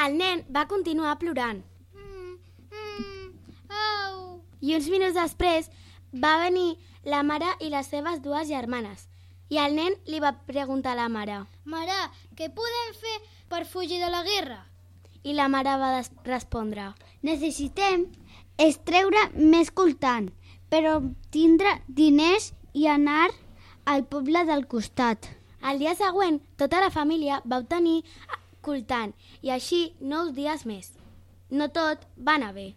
El nen va continuar plorant. I uns minuts després va venir la mare i les seves dues germanes. I el nen li va preguntar a la mare. Mare, què podem fer per fugir de la guerra? I la mare va respondre. Necessitem extreure més coltan, però tindre diners i anar al poble del costat. El dia següent, tota la família va obtenir coltan i així 9 dies més. No tot va anar bé.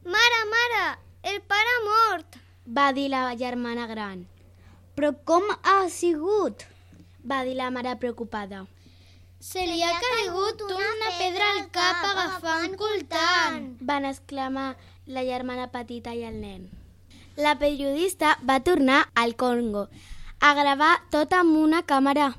Mare, el pare ha mort, va dir la germana gran. Però com ha sigut? Va dir la mare preocupada. Se li ha caigut una pedra al cap agafant coltan, van exclamar la germana petita i el nen. La periodista va tornar al Congo a gravar tot amb una càmera.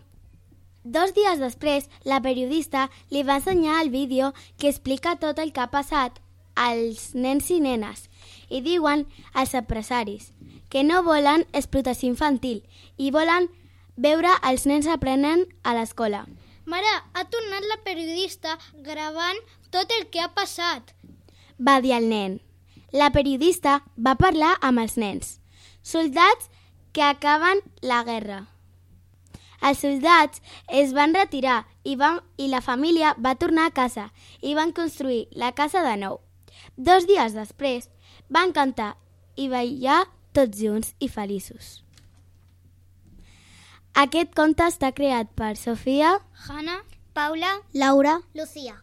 2 dies després, la periodista li va ensenyar el vídeo que explica tot el que ha passat als nens i nenes i diuen als empresaris que no volen explotació infantil i volen veure els nens aprenent a l'escola. Mare, ha tornat la periodista gravant tot el que ha passat, va dir el nen. La periodista va parlar amb els nens, soldats que acaben la guerra. Els soldats es van retirar i la família va tornar a casa i van construir la casa de nou. 2 dies després van cantar i ballar tots junts i feliços. Aquest conte està creat per Sofia, Hanna, Paula, Laura, Lucía.